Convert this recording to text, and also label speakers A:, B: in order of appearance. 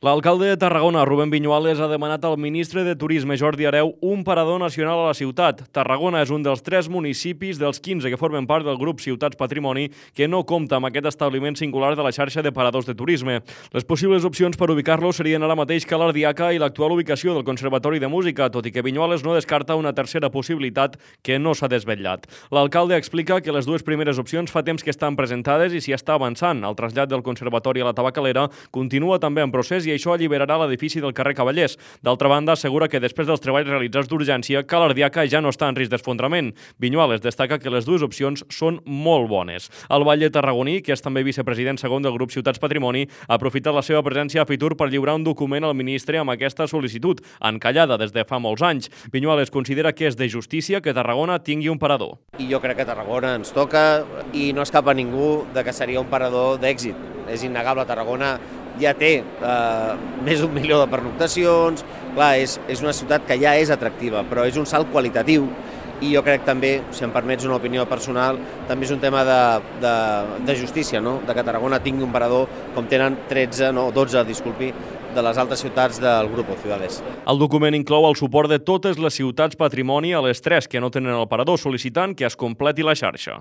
A: L'alcalde de Tarragona, Rubén Viñuales, ha demanat al ministre de Turisme, Jordi Hereu, un parador nacional a la ciutat. Tarragona és un dels 3 municipis dels 15 que formen part del grup Ciutats Patrimoni que no compta amb aquest establiment singular de la xarxa de paradors de turisme. Les possibles opcions per ubicar-lo serien ara mateix Ca l'Ardiaca i l'actual ubicació del Conservatori de Música, tot i que Viñuales no descarta una tercera possibilitat que no s'ha desvetllat. L'alcalde explica que les dues primeres opcions fa temps que estan presentades i s'hi està avançant. El trasllat del Conservatori a la Tabacalera continua també en procés i això alliberarà l'edifici del carrer Cavallers. D'altra banda, assegura que després dels treballs realitzats d'urgència, Ca l'Ardiaca ja no està en risc d'esfondrament. Viñuales destaca que les dues opcions són molt bones. El batlle tarragoní, que és també vicepresident segon del grup Ciutats Patrimoni, ha aprofitat la seva presència a Fitur per lliurar un document al ministre amb aquesta sol·licitud, encallada des de fa molts anys. Viñuales considera que és de justícia que Tarragona tingui un parador.
B: I jo crec que Tarragona ens toca i no escapa ningú de que seria un parador d'èxit. És innegable, Tarragona ja té més d'1 milió de pernoctacions. Clar, és una ciutat que ja és atractiva, però és un salt qualitatiu i jo crec també, si em permets una opinió personal, també és un tema de justícia, no? De que Tarragona tingui un parador com tenen 12 de les altres ciutats del grup Ciudades.
A: El document inclou el suport de totes les ciutats patrimoni a les 3 que no tenen el parador, sol·licitant que es completi la xarxa.